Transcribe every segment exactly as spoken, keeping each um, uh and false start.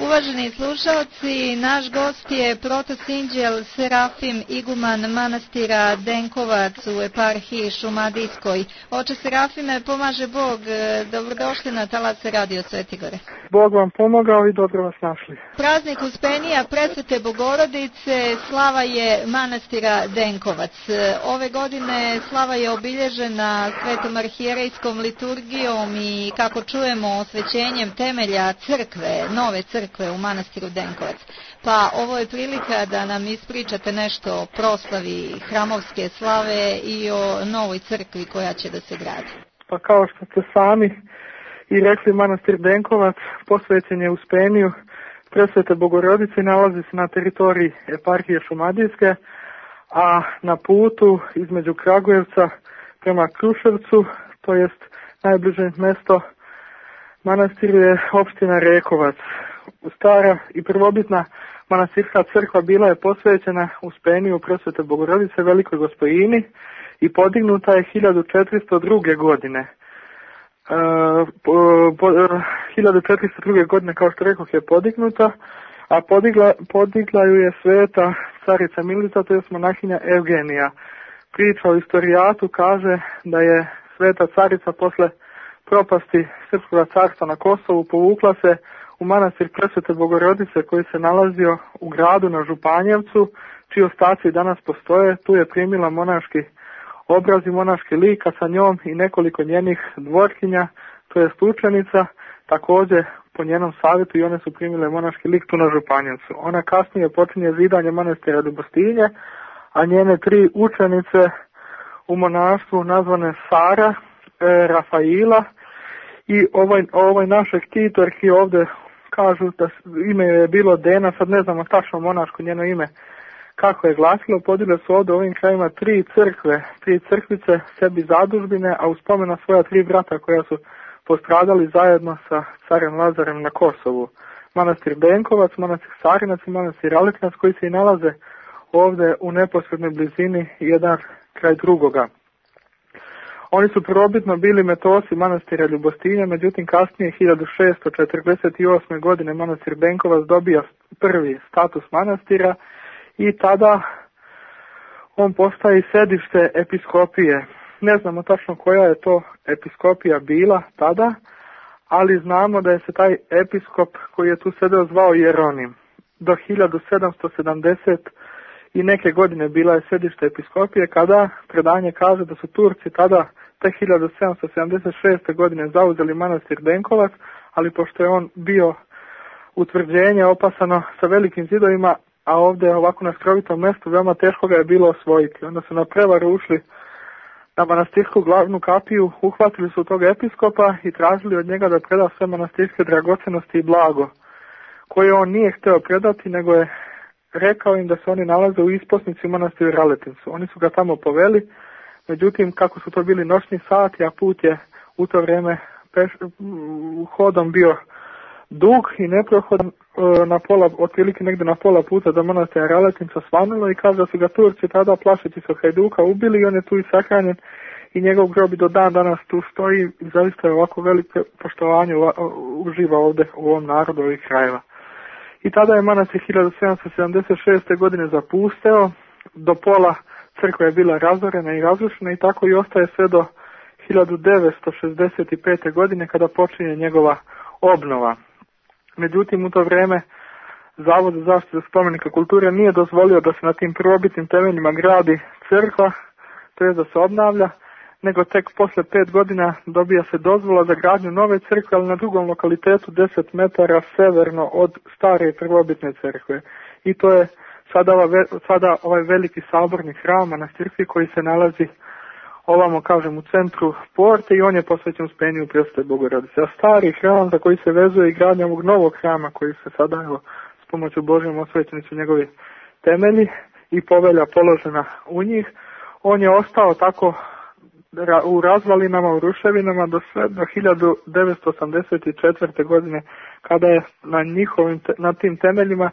Uvaženi slušalci, naš gost je protosinđel Serafim Iguman manastira Denkovac u eparhiji Šumadijskoj. Oče Serafime, pomaže Bog, dobrodošli na talase Radio Svetigore. Bog vam pomogao i dobro vas našli. Praznik Uspenija Presvete Bogorodice slava je manastira Denkovac. Ove godine slava je obilježena svetom arhijerejskom liturgijom i, kako čujemo, osvećenjem temelja crkve, nove crkve u manastiru Denkovac. Pa ovo je prilika da nam ispričate nešto o proslavi hramovske slave i o novoj crkvi koja će da se gradi. Pa kao što ste sami i rekli, manastir Denkovac posvećen je Uspeniju Presvete Bogorodice, nalazi se na teritoriji eparhije Šumadijske, a na putu između Kragujevca prema Kruševcu, to jest najbliže mesto manastiru je opština Rekovac. Stara i prvobitna manastirska crkva bila je posvećena Uspeniju Presvete Bogorodice Velikoj Gospojini i podignuta je hiljadu četiristo druge godine. Uh, po, po, hiljadu četiristo druge godine, kao što rekoh, je podignuta, a podigla, podigla ju je sveta carica Milica, to je monahinja Evgenija. Priča o istorijatu kaže da je sveta carica posle propasti Srpskog carstva na Kosovu povukla se u manastir Presvete Bogorodice koji se nalazio u gradu na Županjevcu, čiji ostaci danas postoje. Tu je primila monaški obraz i monaški lik, a sa njom i nekoliko njenih dvorkinja, to je učenica, također po njenom savjetu i one su primile monaški lik tu na Županjevcu. Ona kasnije počinje zidanje manastira Ljubostinje, a njene tri učenice u monaštvu nazvane Sara, e, Rafaila i ovaj, ovaj naše ktitorki ovdje kažu da ime je bilo Dena, sad ne znamo tačno monaško njeno ime kako je glasilo. Podile su ovdje u ovim krajima tri crkve, tri crkvice, sebi zadužbine, a uspomena svoja tri brata koja su postradali zajedno sa carem Lazarem na Kosovu. Manastir Denkovac, manastir Sarinac i manastir Aliknac, koji se i nalaze ovdje u neposrednoj blizini jedan kraj drugoga. Oni su prvobitno bili metosi manastira Ljubostinja, međutim kasnije hiljadu šeststo četrdeset osme. godine manastir Denkovac dobija prvi status manastira i tada on postaje sedište episkopije. Ne znamo tačno koja je to episkopija bila tada, ali znamo da je se taj episkop koji je tu sedeo zvao Jeronim. Do hiljadu sedamsto sedamdeset i neke godine bila je sedište episkopije, kada predanje kaže da su Turci tada te hiljadu sedamsto sedamdeset šeste. godine zauzeli manastir Denkovac, ali pošto je on bio utvrđenje opasano sa velikim zidovima, a ovdje ovako na skrovitom mjestu veoma teško ga je bilo osvojiti. Onda su na prevaru ušli na manastirsku glavnu kapiju, uhvatili su tog episkopa i tražili od njega da preda sve manastirske dragocenosti i blago, koje on nije htio predati, nego je rekao im da se oni nalaze u isposnici u manastiru Raletincu. Oni su ga tamo poveli, međutim kako su to bili noćni sati, a put je u to vrijeme peš, hodom bio dug i neprohodan, na pola, otprilike negdje na pola puta do manastira Raletinca svanulo i kaže da su ga Turci tada plašeći se hajduka ubili i on je tu i sahranjen i njegov grob do dan danas tu stoji i zaista je ovako veliko poštovanje uživa ovdje u ovom narodu ovih krajeva. I tada je manastir hiljadu sedamsto sedamdeset šeste. godine zapusteo, do pola crkva je bila razorena i razrušena i tako i ostaje sve do hiljadu devetsto šezdeset pete. godine kada počinje njegova obnova. Međutim, u to vrijeme Zavod za zaštitu spomenika kulture nije dozvolio da se na tim prvobitnim temeljima gradi crkva, to je da se obnavlja, nego tek posle pet godina dobija se dozvola za gradnju nove crkve, ali na drugom lokalitetu deset metara severno od stare prvobitne crkve. I to je sada, ova, sada ovaj veliki saborni hram manastirski koji se nalazi ovamo, kažem, u centru porte i on je posvećen Uspeniju Presvete Bogorodice. A stari hram za koji se vezuje i gradnja ovog novog hrama koji se sada, evo, s pomoću Božjom osvećeni su njegovi temelji i povelja položena u njih, on je ostao tako u razvalinama, u ruševinama do sve do hiljadu devetsto osamdeset četvrte. godine kada je na njihovim, na tim temeljima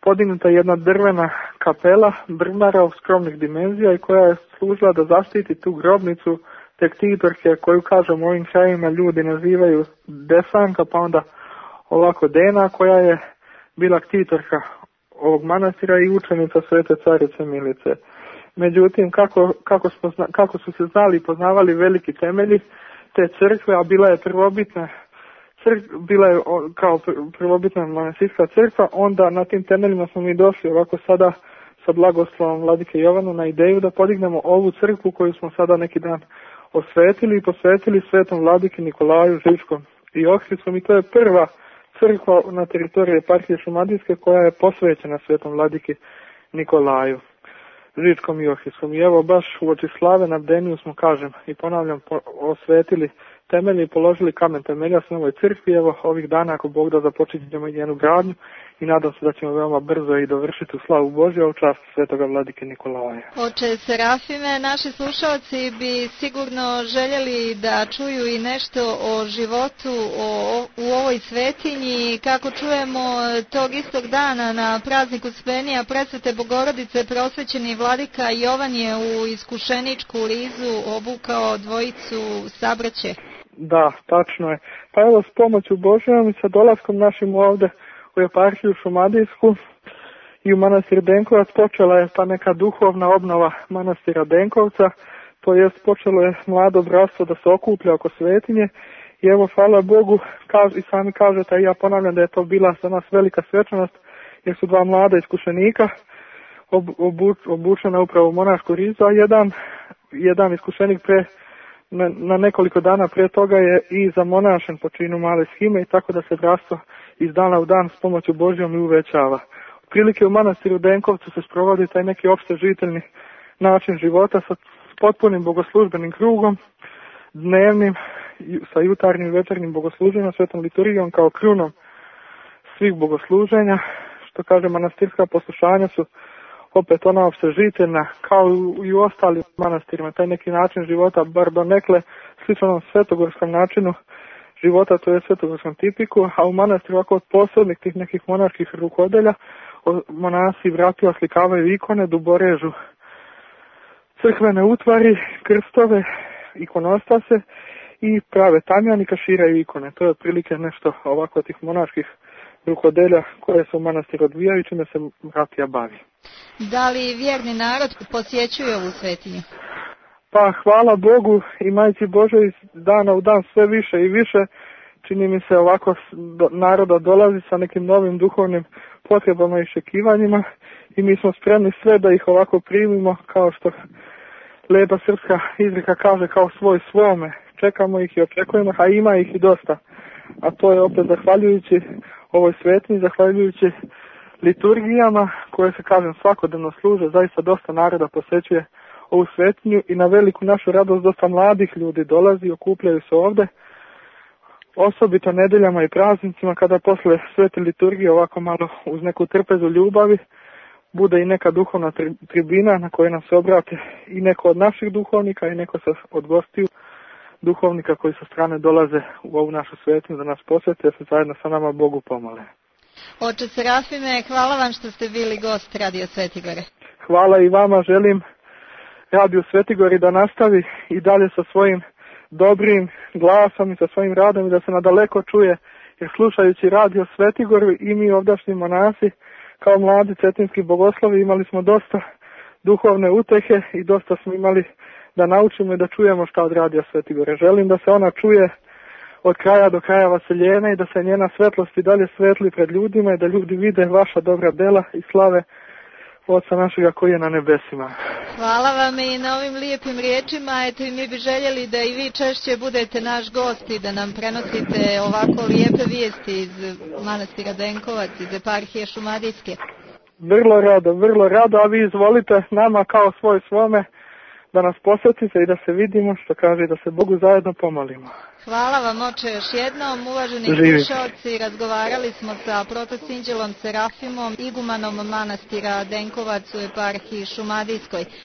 podignuta jedna drvena kapela brvnara u skromnih dimenzija i koja je služila da zaštiti tu grobnicu te ktitorke koju, kažem, u ovim krajima ljudi nazivaju Desanka, pa onda ovako Dena, koja je bila ktitorka ovog manastira i učenica Svete Carice Milice. Međutim, kako, kako, smo, kako su se znali i poznavali veliki temelji te crkve, a bila je prvobitna crkva, bila je kao prvobitna manastirska crkva, onda na tim temeljima smo mi došli ovako sada sa blagoslovom Vladike Jovanu na ideju da podignemo ovu crkvu koju smo sada neki dan osvetili i posvetili Svetom Vladiki Nikolaju Žičkom i Ohridskom, i to je prva crkva na teritoriji eparhije Šumadijske koja je posvećena Svetom Vladiki Nikolaju Žičkom i Ohridskom. I evo baš u oči slave na bdeniju smo, kažem i ponavljam, po, osvetili temelje i položili kamen temelja s novoj crkvi. Evo ovih dana, ako Bog da, započinjemo i njenu gradnju i nadam se da ćemo veoma brzo i dovršiti u slavu Božju u čast Svetoga Vladike Nikolaja. Oče Serafime, naši slušalci bi sigurno željeli da čuju i nešto o životu o, u ovoj svetinji. Kako čujemo, tog istog dana na prazniku Spenija Presvete Bogorodice prosvećeni Vladika Jovan je u iskušeničku rizu obukao dvojicu sabraće. Da, tačno je. Pa evo, s pomoću Božjom i sa dolaskom našim ovde u eparhiju Šumadijsku i u manastir Denkovac počela je ta neka duhovna obnova manastira Denkovca, to jest počelo je mlado bratstvo da se okuplja oko svetinje i evo, hvala Bogu, kaž, i sami kažete, i ja ponavljam da je to bila za nas velika svečanost, jer su dva mlada iskušenika ob, obuč, obučena upravo u monašku rizu, a jedan, jedan iskušenik pre Na, na nekoliko dana prije toga je i zamonašen po činu male shime i tako da se bratstvo iz dana u dan s pomoću Božjom i uvećava. Prilike u manastiru Denkovcu se sprovodi taj neki opšte žiteljni način života sa potpunim bogoslužbenim krugom, dnevnim, sa jutarnjim i večernjim bogosluženjem, svetom liturgijom kao krunom svih bogosluženja. Što kaže, manastirska poslušanja su opet ona opsežiteljna, kao i u ostalim manastirima, taj neki način života, bar donekle sličnom svetogorskom načinu života, to je svetogorskom tipiku, a u manastiru ovako od posebnih tih nekih monarških rukodelja monasi vrati oslikavaju ikone, duborežu crkvene utvari, krstove, ikonostase i prave tamjani, kaširaju ikone. To je otprilike nešto ovako tih monarških rukodelja koje se u manastiru odvijaju, čime se bratija bavi. Da li vjerni narod posjećuje ovu svetinju? Pa hvala Bogu i Majci Božoj iz dana u dan sve više i više. Čini mi se ovako do, naroda dolazi sa nekim novim duhovnim potrebama i očekivanjima i mi smo spremni sve da ih ovako primimo, kao što lepa srpska izreka kaže, kao svoj svome. Čekamo ih i očekujemo, a ima ih i dosta. A to je opet zahvaljujući ovoj svetinji, zahvaljujući liturgijama koje se, kažem, svakodnevno služe, zaista dosta naroda posjećuje ovu svetinju i na veliku našu radost dosta mladih ljudi dolazi i okupljaju se ovde, osobito nedeljama i praznicima kada posle svete liturgije ovako malo uz neku trpezu ljubavi bude i neka duhovna tribina na kojoj nam se obrate i neko od naših duhovnika i neko sa od gostiju duhovnika koji sa strane dolaze u ovu našu svetinju da nas posjete, da se zajedno sa nama Bogu pomole. Oče Serafime, hvala vam što ste bili gost Radio Svetigore. Hvala i vama, želim Radio Svetigori da nastavi i dalje sa svojim dobrim glasom i sa svojim radom i da se nadaleko čuje, jer slušajući Radio Svetigoru i mi ovdašnji monasi kao mladi cetinski bogoslovi imali smo dosta duhovne utehe i dosta smo imali da naučimo i da čujemo šta od Radio Svetigore. Želim da se ona čuje od kraja do kraja vaseljena i da se njena svetlost i dalje svetli pred ljudima i da ljudi vide vaša dobra dela i slave Oca našega koji je na nebesima. Hvala vam i na ovim lijepim riječima. Eto, i mi bi željeli da i vi češće budete naš gost i da nam prenosite ovako lijepe vijesti iz manastira Denkovac, iz eparhije Šumadijske. Vrlo rado, vrlo rado, a vi izvolite nama kao svoj svome da nas posjetite i da se vidimo, što kaže, da se Bogu zajedno pomolimo. Hvala vam, oče, još jednom. Uvaženi slušalci, razgovarali smo sa protosinđelom Serafimom, igumanom manastira Denkovac u eparhiji Šumadijskoj.